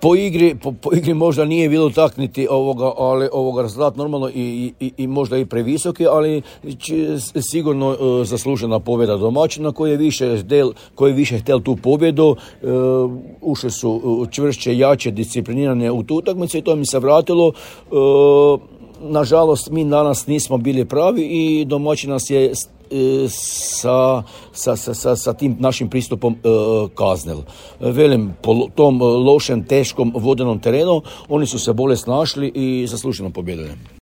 Po igri možda nije bilo takniti ali rezultat normalno i možda i previsoki, ali sigurno zaslužena pobjeda domaćina koji je više htjel tu pobjedu. Ušli su čvršće, jače, disciplinirane u tu utakmicu i to mi se vratilo. Nažalost, mi danas nismo bili pravi i domaćin nas je sa tim našim pristupom kaznil. Velim, po tom lošem, teškom vodenom terenu oni su se bolje snašli i zasluženo pobjedili.